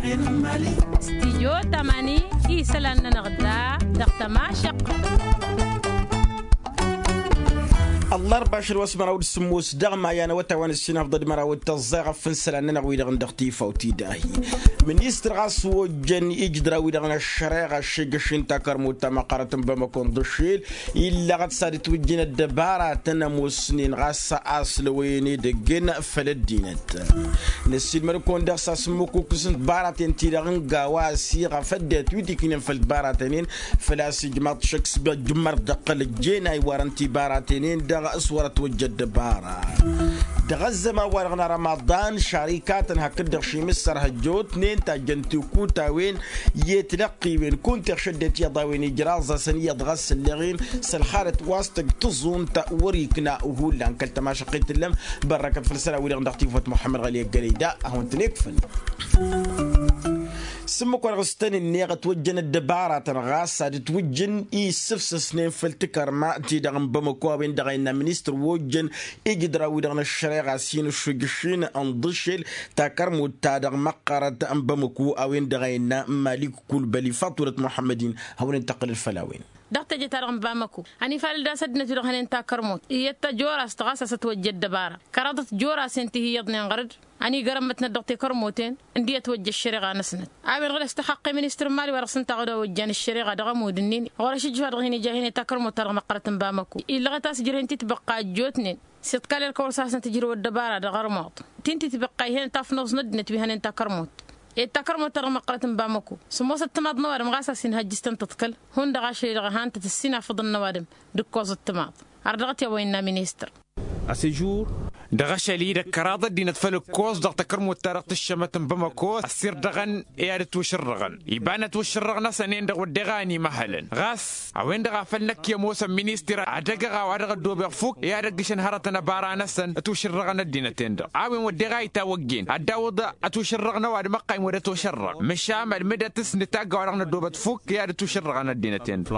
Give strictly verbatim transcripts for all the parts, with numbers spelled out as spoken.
Stijyo tamani isălan-nănăɣ da dăɣ-tămašăqqa. Ăllarba ašăl wa s-măraw d-sǝmmos dăɣ-maya n-awătay wa n-ǝssin afḍăd măraw d-tăẓẓay ɣăf n-isălan-nănăɣ wi-dăɣ n-dăɣ-tifawt idahi. Ministăr ɣas ojjăn ijǝdra-wi-dăɣ n-ăššăreɣa aššegăš-in takărmut ta măqqărăt n-bamăko n-ḍǝššel illăɣăt s-ad-ǝtwǝjjǝn ăddăbaratăn ămoosnen ɣas a-s lăwăyăn edăgg-en făll-ăddinăt. Năssiilmăd-kăwăn daɣ s-asǝmmǝkukǝs n-tibaraten-ti-dăɣ n-gawa a-s iɣăf ăddinăt wi tikǝynen făll-tibaraten-in făl-a-s ijmaḍ šăkk s-băjjǝmmăr dăɣ-tălăjjen a iwarăn tibaraten-in-dăɣ s-wăr-ătwăjja ăddăbara. Dăɣ-ăzzăman-wa-dăɣ n-arămaḍan šarikatăn hakd-dăɣ šimǝssăr hăjjootnen tajjăn tikutawen i-tilăqqiwen kunta iɣšăddet iyyăḍ a-wen ijraẓ-asăn iyyăḍ ɣas ălleɣ-in s-ălxalăt wa s-tăj taẓunt wăr-ikna hullan kăl-tămašăqqit tǝllăm. Bărrăkăt făll-isălan-wi-dăɣ n-dăɣ-tifawt muḥămmăd ɣăli ăggălăy da ad-hawăn-tăn-ikfăn. S-ǝmmǝk wa dăɣ-s tăn-ǝnneɣ ătwăjjăn ăddăbaratăn ɣas ad-ǝtwǝjjǝn i-issǝfsăsnen făll-tikărma-ti-dăɣ n-bamăko a-wen-dăɣ a innă ministăr wa ojjăn ijǝdra-wi-dăɣ n-ăššăreɣa s-hin-ǝššǝjǝšin n-iḍǝššel takărmut-ta-dăɣ măqqărăt n-bamăko a-wen-dăɣ a innă malik kulbăli faḍt wălăt muḥămmăd-in. Hawăn-in-tăqqǝlăd făll-a-wen. Dăɣ-teje-ta-dăɣ n-bamăko ănifalăl d-a-s ăddinăt-wi-dăɣ hănen takărmut iyyăt ta jorast ɣas a-s ătwăjja ăddăbara kăraḍăt jorasen ti hi-iyyăḍnen ɣăr-dd. Ăniigărămmătnăt dăɣ-tekărmoten ǝndi ătwăjja ăššăreɣa-năsnăt. A-wen-dăɣ d-ăstăxăqqe ministăr n-imali wa dăɣ-s ǝnta a ɣăd a ojjan ăššăreɣa dăɣ-ămud-ǝnnin ɣur-ăšijjǝš wa dăɣ-hin-ija hin-e takărmot-ta-dăɣ măqqărăt n-bamăko. Illăɣăt a-s ǝjrăhen titbăqqa ăjjootnen s-iḍkal erk a wăr s-hasnăt ǝjrăw ăddăbara dăɣ-armuḍ. Ti n-titbăqqa ih'-en tafnoẓ n-ăddinăt wi hănen takărmot. Ed takărmot-ta-dăɣ măqqărăt n-bamăko sǝmmosăt timaḍ n-ăwadǝm ɣas a-s inhăjjǝs-tăn tǝḍkăl hundăɣ ašăl-i-dăɣ ăhantăt ǝssin afǝḍăn n-ăwadǝm d-ǝkkoẓ d-timaḍ. Ardăɣăt i-a-wa innă ministăr. Dăɣ-ašăl-i-dăɣ kăraḍ ăddinăt făll-ǝkkoẓ dăɣ-takărmut-ta-dăɣ tǝššămăt n-bamăko ăssirdăɣăn i-ad-ǝtwǝšǝrrăɣăn iba n-ătwǝššǝrrăɣ-năsăn-en-dăɣ wădden a ănimăhălăn ɣas a-wen-dăɣ a făl năkk i-ămoosăn ministăr ad-ăgg-ăɣ a-wa dăɣ-ăddobeɣ fukk i-ad-ăggǝšăn hărătăn ăbara-năsăn ătwǝšǝrrăɣăn ăddinăt-en-dăɣ. A-wen wădden a itawăggen ad-dd-awǝḍ ătwǝšǝrrăɣ n-ăwadǝm ăqqayǝm wăr dd-ătwăšărrăɣ măšan ălmǝdăt s-nǝtagg a-wa dăɣ-năddobăt fukk i-ad-ǝtwǝšǝrrăɣăn ăddinăt-en-dăɣ.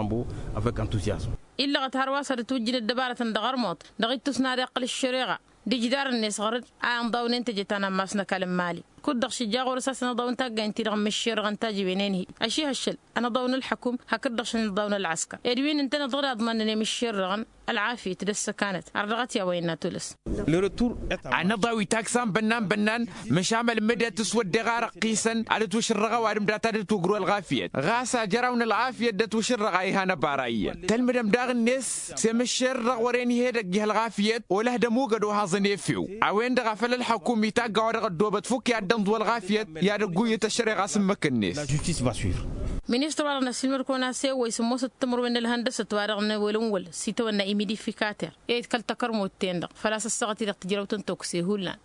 Illăɣăt hărwa s-ad-ǝtwǝjjǝn ăddăbarătăn dăɣ-ărmuḍ dăɣ-ittus n-ad-iqqǝl ăššăreɣa d-ijdarăn-net ɣăr-dd a inḍawnen teje ta n-ammas n-ăkall n-imali. Kud-dăɣ šija ɣur-s a-s ănăḍaw n-taggaynt-ti-dăɣ n-imǝššerrăɣăn tajǝwen-en-hi ăšihăššăl ănăḍaw n-ǝlḥăkum hakd-dăɣ šăn ănăḍaw n-ălɣăskăr ed wi n-ǝntăneḍ ɣur-iḍmănnen i-imǝššerrăɣăn ălɣafyăt d-ăssăkanăt. Ardăɣăt i-a-wa innă tulǝs. Anăḍaw itaksan bănnan-bănnan măšan ălmǝdăt s-wădden a răqqisăn ad-ătwǝšǝrrăɣ ăwadǝm data d-ătwǝgru ălɣafyăt ɣas ajăraw n-ălɣafyăt d-ătwǝšǝrrăɣ a ihan ăbara iyyăn tălmǝdăm daɣ-net s-emǝššerrăɣ wăren ih'-edăgg ih' ălɣafyăt olăh d-ămugăd ohaẓăn efew. A-wen-dăɣ a făl ălḥăkum itagg a-wa dăɣ-ăddoobăt fukk i-ad-dd-ănḍǝw ălɣafyăt i-ad-ăgguyyǝt ăššăreɣa s-ǝmmǝk-net. Ministăr-wa-dăɣ n-ăssiilmăd-kăwăn a-s ewăy sǝmmosăt timǝrwen n-ălhăndăsăt wa dăɣ-newălăn wăl s-itawănna imidifikater i-dd kăl-takărmut-ten-dăɣ făl-a-s ăssaɣăt-i-dăɣ tǝjrăwt n-tokse hullan.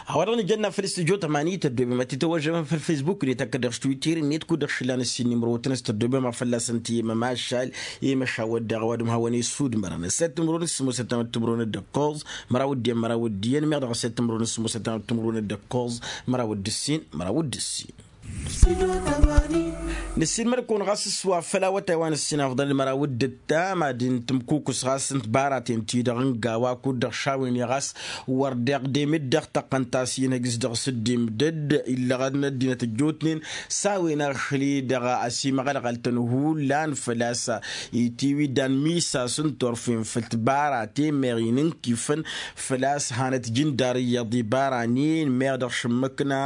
A-wa dăɣ-nǝjănna făll-studjo tămani tăddobem ad-t-tăwăžžămăm făll-fesbuk-net hakd dăɣ-s twitter-net kud-dăɣ šǝllan ǝssin n-imrăwătăn s-tăddobem a fălla-săn tǝyyem ămašal i-măšawăt daɣ ăwadǝm hawăn-e-issudmărăn ăssayăt timǝrwen s-sǝmmosăt tamăt timǝrwen d-ǝkkoẓ măraw d-iyyăn măraw d-iyyăn meɣ dăɣ-ăssayăt timǝrwen s-sǝmmosăt tamăt timǝrwen d-ǝkkoẓ măraw d-ǝssin măraw d-ǝssin. Nǝssinmăd-kăwăn ɣas s-wa făll-awătay wa n-ǝssin afḍăl d-măraw d-ǝttam ad-dd-tǝmkukǝs ɣas n-tibaraten-ti-dăɣ n-gawa kud-dăɣ šawen-i ɣas wăr deɣ demǝd dăɣ-tăqqăn ta s-inhăjj s-dăɣ-s dd-imdăd illăɣăn ăddinăt ăjjootnen s-a-wen ašăl-i-dăɣ ăsimăɣălɣăl-tăn hullan făl-a-s itiwǝddan misas n-turfen făll-tibaraten meɣ inǝnkifăn făl-a-s hanăt jǝndar iyyăḍ ibaranen meɣ dăɣ-šǝmmǝkna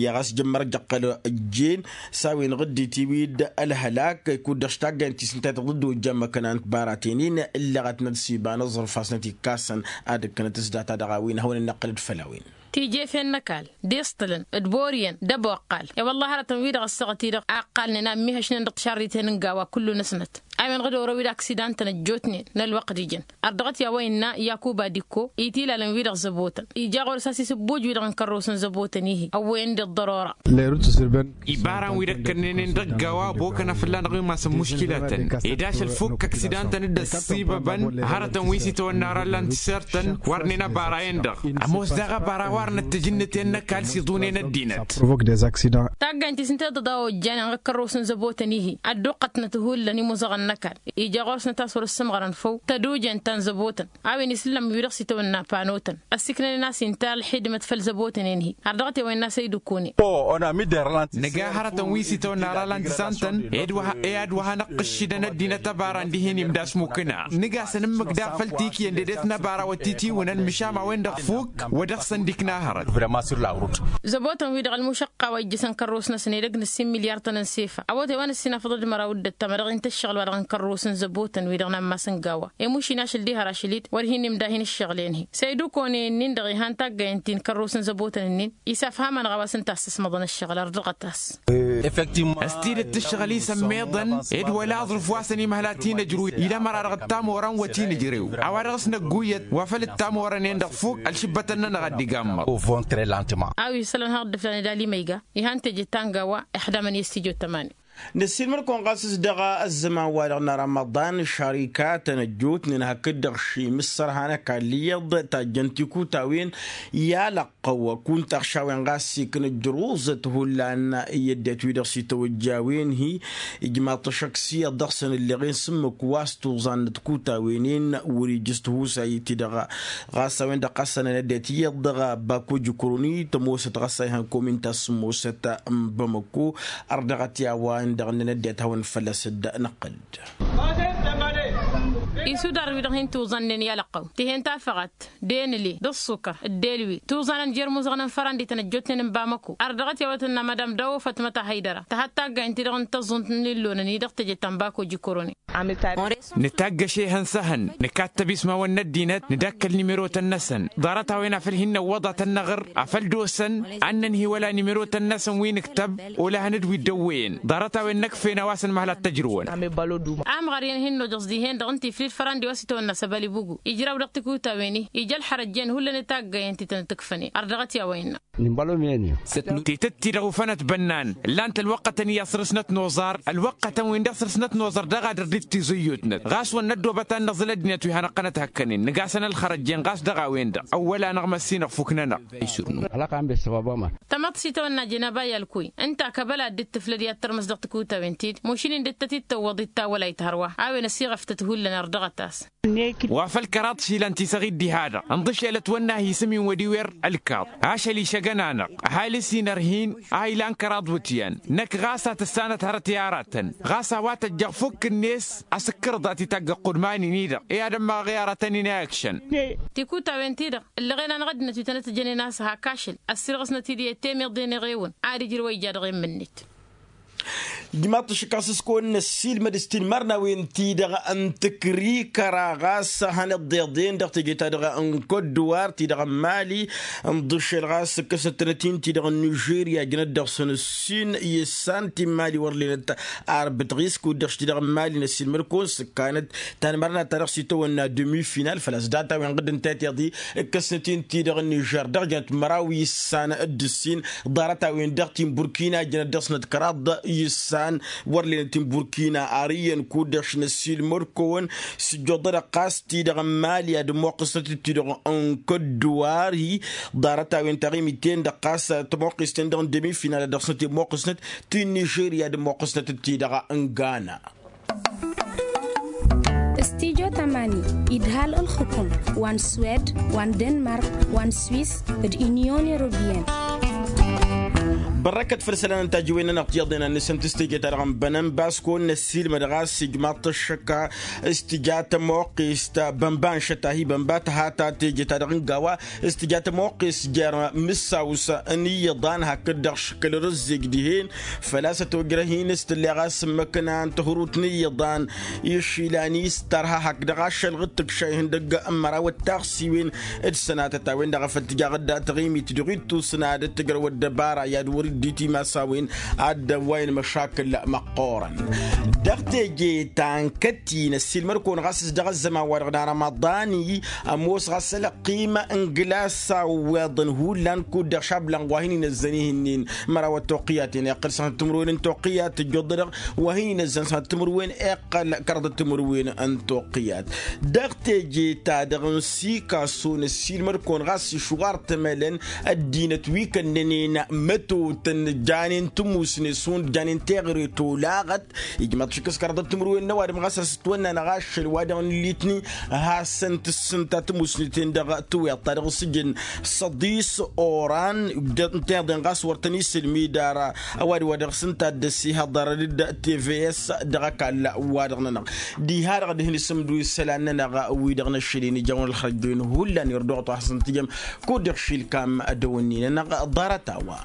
i-ɣas jǝmmăr jăqqăl ăjjeen s-a-wen ɣǝddit iwid ălhălak kud-dăɣ s-taggaynt ti s-ǝnta i-tăɣ dd-ojja măkăna n-tibaraten-in ǝllăɣătnăt s-iba n-aẓrǝf a-s năt-ikkasăn ad-ǝkkănăt s-data dăɣ-a-wen ad-hawăn-in-năqqǝlăd făll-a-wen. Tijefen n-ăkall d-iṣṭǝlăn d-boriyăn d-ăboqqal i-wălla hărătăn-wi-dăɣ ăssaɣăt-i-dăɣ a ǝqqalnen a ǝmmihăšnen dăɣ-tišarriten n-gawa kullu-năsnăt. A-wen-dăɣ d-orăw-wi-dăɣ aksidantăn ăjjootnen n-ălwăqq d-ijăn ărdăɣăt i-a-wa innă yakuba d-ikko itilalăn-wi-dăɣ zăbotăn ija ɣur-s a-s isǝbbuj-wi-dăɣ n-kărrosăn zăbotăn-ihi ăwwăyăn d-ăḍḍărora. Ibaran-wi-dăɣ kănnenen dăgg-a-wa ăbokăn afălla-năɣ imasăn muškilatăn ed ašăl fukk ăksidantăn dd-ăssibăbăn hărătăn wi s-itawănna ara ǝllan tišărtăn wărnen ăbara-en-dăɣ. Ămoos daɣ ăbara wa ărnăt tejǝnnǝten n-ăkall s-iḍunen ăddinăt. Taggaynt-i s-ǝnta i-dd-ăḍa ojjanen ɣǝkkărrosăn zăbotăn-ihi ădduqqătnăt hullan imuzăɣăn. n-ăkall ija ɣur-s nǝtas wăr-ǝssǝmɣărăn făw tădujen ta n-zăbotăn a-wen isǝllăm wi-dăɣ s-itawănna panotăn ăssiiknănen a-s inta ălxidmăt făll-zăbotăn-en-hi. Har dăɣ-t i-a-wa innă a-s ăydǝkune nǝga hărătăn wi s-itawănna ralant s-antăn. Ed wa hanăɣ-t ǝššǝdăn ăddinăt ăbara n-dihin imda s-mukǝna nǝga s-ănǝmmǝk daɣ făll-tikǝyăn dedet n-ăbara wa t-itiwǝnăn măšan a-wen-dăɣ fuk wa dăɣ-săn dd-ikna hărăt. Zăbotăn-wi-dăɣ ălmušăqqa wa ijjǝsăn kărrus-năsăn edăgg n-ǝssin milyar-tăn n-sefa ăwwăt i-a-wa n-ǝssin afăḍăd măraw d-ăttăm a dăɣ-intăššăɣǝl wa dăɣ-n kărrus n-zăbotăn-wi-dăɣ n-ammas n-gawa. Emušin ašăl diha rašăl-dd wăr hin-imda hin-ǝššăɣǝl-en-hi s-ăydukone-nin-dăɣ ihăn taggăyăn ti n-kărrus n-zăbotăn-nin. Isafham-anăɣ a-wa s-ǝnta-s ăsmăḍăn ǝššăɣǝl ărdăɣăt-as. S-tidǝt ǝššăɣǝl-i s-ămmiḍăn ed wăla aẓrǝf wa săn imhăl ad-t-in-ǝjrǝw ila măra dăɣ-ăttamorăn wa t-in-ǝjrew. A-wa dăɣ-s năgguyăt wa făll-ăttamorăn-en-dăɣ fuk ălšǝbbătăn-nănăɣ ad-dd-iga ǝmmăḍ. A-wa isălan har dd-ǝflan ed alima iga ihăn teje ta n-gawa. Ixdamăn i-s tijo tămani. Năssiilmăd-kăwăn ɣas s-dăɣ ăzzăman-wa-dăɣ n-arămăḍan šarikatăn ăjjootnen hakd-dăɣ šimǝssărha n-ăkall iyyăḍ tajjăn tikutawen i-alăqqăw kunta ăɣšawen ɣas ikna ǝjrǝwẓăt hullan i-ăddinăt wi-dăɣ s-itawăjjawen-hi. Ijmaḍ-t ăššăk s-iyyăḍ dăɣ-săn ǝlleɣen s-ǝmmǝk wa s-tuẓannăt kutawen-in wăr-ijǝs tihusay-ti-dăɣ. Ɣas a-wen-dăɣ ɣas a năn ăddinăt iyyăḍ dăɣ-bako jǝkroni tămoosăt ɣas a ihăn komin ta s-sǝmmosăt n-bamăko. Ărdăɣăt i-a-wa ǝndăɣ ǝnnăn ăddinăt hawăn-dd fălla-s dd-năqqăl-dd. Isudar-wi-dăɣ hin-tuẓannen i-alăqqăw tihen tafăɣat d-enǝle d-ăṣṣukăr d-elwi tuẓanăn jer-imuzăɣăn n-fărandităn ăjjootnen n-bamăko. Ărdăɣăt i-a-wa tǝnna madam dawo fatmăt ahăydăra tăhăt taggayăn-ti-dăɣ n-tăẓẓunt n-illonăn-i dăɣ-teje ta n-bako jǝkroni. Nǝtaggăš ehăn s-ehăn nǝkattăb ismawăn n-ăddinăt nǝdakkăl nimerotăn-năsăn. Ḍarăt-a-wen afăl hin-năwwăḍ ad-tăn-năɣr afăl d-osăn ad-nănhǝy wăla nimerotăn-năsăn wi nǝktăb. Olăhăn-dd wi dd-ăwwăyăn ḍarăt-a-wen n-ăkfen a-wa s-ănmăhăl ad-t-ăjrǝwăn. Amɣăr-i ănhǝnnojeẓ dihen-dăɣ ǝnta iflǝl fărandi wa s-itawănna s-ăbălibugu ijraw dăɣ-tikutawăn-i. Ija ălxărăjjen hullan i-taggăyăn ti tăn-tǝkfănen ărdăɣăt i-a-wa innă. Titǝtti-dăɣ ufănăt bănnan ǝllan-t ălwăqqătăn i-ad-săr-snăt noẓar ălwăqqătăn-win-dăɣ săr-snăt noẓar dăɣ-ad-ărdit tiẓǝyyutnăt ɣas wăr năddoobăt ad-năẓǝl ăddinăt wi hanăɣ-tănăt hăkkănen nǝgasăn ălxărăjjen ɣas dăɣ-a-wen-dăɣ ăwwăl-anăɣ măssinăɣ fuknănăɣ. Tamăḍt s-itawănna jenaba i-alkuy ǝnta kăbăla dd-tǝflăd i-ad-tărmǝs dăɣ-tikutawin-ti-dd mušin-in dd-tăt-dd-tăwwăḍ ittawălayt hărwa a-wen ăsiɣăftăt hullan ărdăɣăt-as. Wa făl kăraḍ išilan ti s-ăɣ-dd-iha-dăɣ ǝnḍǝšelăt wănna hi-sǝm-in wăr-iwer ǝlkaḍ ašăl išăgăn-anăɣ ăhalǝs-in ărhin. A ilan kăraḍ wǝtyan năkk ɣas a tǝssanăt hărăt i-aratăn ɣas a-wa tăjjăɣ fukk-net. Asǝkkărăḍ a t-itagg ăqqudman-in-i-dăɣ i-ad-ămmaɣăɣ i-aratăn-in a ikšăn. Tikutawen-ti-dăɣ ǝllăɣen-anăɣ ăddinăt wi tănăt-ǝjănen a-s hak ašăl ăssirɣăsnăt-dd i-temeḍe n-eɣewăn ad-ǝjrǝw a ija dăɣ-e n-imǝnnǝt. Ijmaḍ-t ăššăk a-s s-kăwăn-năssiilmăd s-ti n-imărnawen-ti-dăɣ n-tǝkrikăra ɣas hanăḍḍeḍen dăɣ-teje-ta-dăɣ n-kotdǝwar ti-dăɣ n-mali. Ǝnḍǝšel ɣas ǝkkăsnăt-tănăt-in ti-dăɣ n-nižerya jănăt dăɣ-săn ǝssin i-issan ti n-mali wăr lenăt arbǝt ɣis kud-dăɣ š-ti-dăɣ n-mali năssiilmăd-kăwăn s-ǝkkanăt ta n-imărna ta dăɣ-s itawănna demi-final făl-a-s data-wen ɣǝdd n-tatiḍi. Ǝkkăsnăt-in ti-dăɣ n-nižer dăɣ-jănăt măraw i-issan d-ǝssin ḍarăt-a-wen-dăɣ ti n-burkina jănăt dăɣ-snăt kăraḍ i-issan. Wăr lenăt ti n-burkina ar iyyăn kud-dăɣ š-năssiilmăd-kăwăn s-ǝjjuḍăd ɣas ti-dăɣ n-mali ad-ămmoqqǝsnăt-dd ti-dăɣ n-kădduwar-hi. Ḍarăt-a-wen taɣimit-ten-dăɣ ɣas tămoqqǝst-ten-dăɣ n-demi-final ad-dăɣ-snăt i-ămmoqqǝsnăt ti n-nižerya ad-ămmoqqǝsnăt-dd ti-dăɣ n-gana. Studyo tamani idhal ǝlxǝkum wa n-swed wa n-denmark wa n-swis d-unyon europeyăn. Bărrăkăt făll-isălan n-tajǝwen-nănăɣ tiyyăḍnen ad-nǝsǝntǝs teje-ta-dăɣ n-bănănbas kăwăn-năssiilmăd ɣas ijmaḍ-t ăššăk s-tǝja tămoqqist bănba n-šăt-ahi bănba tăhata teje-ta-dăɣ n-gawa. S-tǝja tămoqqist jer-mǝssaws n-iyyăḍan hakd-dăɣ šǝkkăl rǝzzeg dihen. Făl-a-s ătojrăh-in s-tǝlleɣ a-s ǝmmǝkna n-tihurut n-iyyăḍan išilan-is tărha hakd-dăɣ ašăl ɣǝttǝk šayhăn dăgg-măraw ăttaɣsiwen d-sănatăt a-wen-dăɣ a făl tǝjaɣ dd-atăɣimit dăɣ-ittus n-ad-dd-tǝjrăw ăddăbara i-ad-wăr-dd-itimasa a-wen ad-dd-ăwwayăn măšakǝl măqqoorăn. Dăɣ-teje ta n-kăt-in ăssiilmăd-kăwăn ɣas s-dăɣ-ăzzăman-wa-dăɣ n-arămaḍan-i ămoos ɣas ălăqqim n-glas awweḍăn hullan kud-dăɣ šablan wa hin-inăzzăn ihǝnnin măraw ăttoqqǝyat-en iqqăl sănăt timǝrwen n-toqqǝyat tǝjjuḍ-dăɣ wa hin-inăzzăn sănăt timǝrwen iqqăl kăraḍăt timǝrwen n-toqqǝyat. Dăɣ-teje-ta-dăɣ n-sikaso năssiilmăd-kăwăn ɣas išwar tămălăn ăddinăt wi kănnănen măto. Tăn-janen tămusne šund janen teɣăre tolaɣăt. Ijmaḍ šik s-kăraḍăt timǝrwen n-ăwadǝm ɣas a-s ǝtwănna n-aɣaššăl wa dăɣ-nǝllitni. Hasăn-tǝssǝnta tămusne-ten-dăɣ tǝwweḍ ta dăɣ-s ǝjǝn săḍis oran. N-teḍen ɣas wăr tăn-isǝlmid ara ăwadǝm wa dăɣ-s ǝnta a dd-ăssihăḍărăn d-tvs dăɣ-ăkall wa dăɣ-nănăɣ. Diha-dăɣ ad-hin-isǝmdǝw isălan-nănăɣ wi-dăɣ n-ašăl-in ijawăn ălxărăjjoyăn hullan irduɣăt wa hasăn-tǝjăm. Kud-dăɣ šilkam ădăwănni-nănăɣ ḍarăt-a-wa.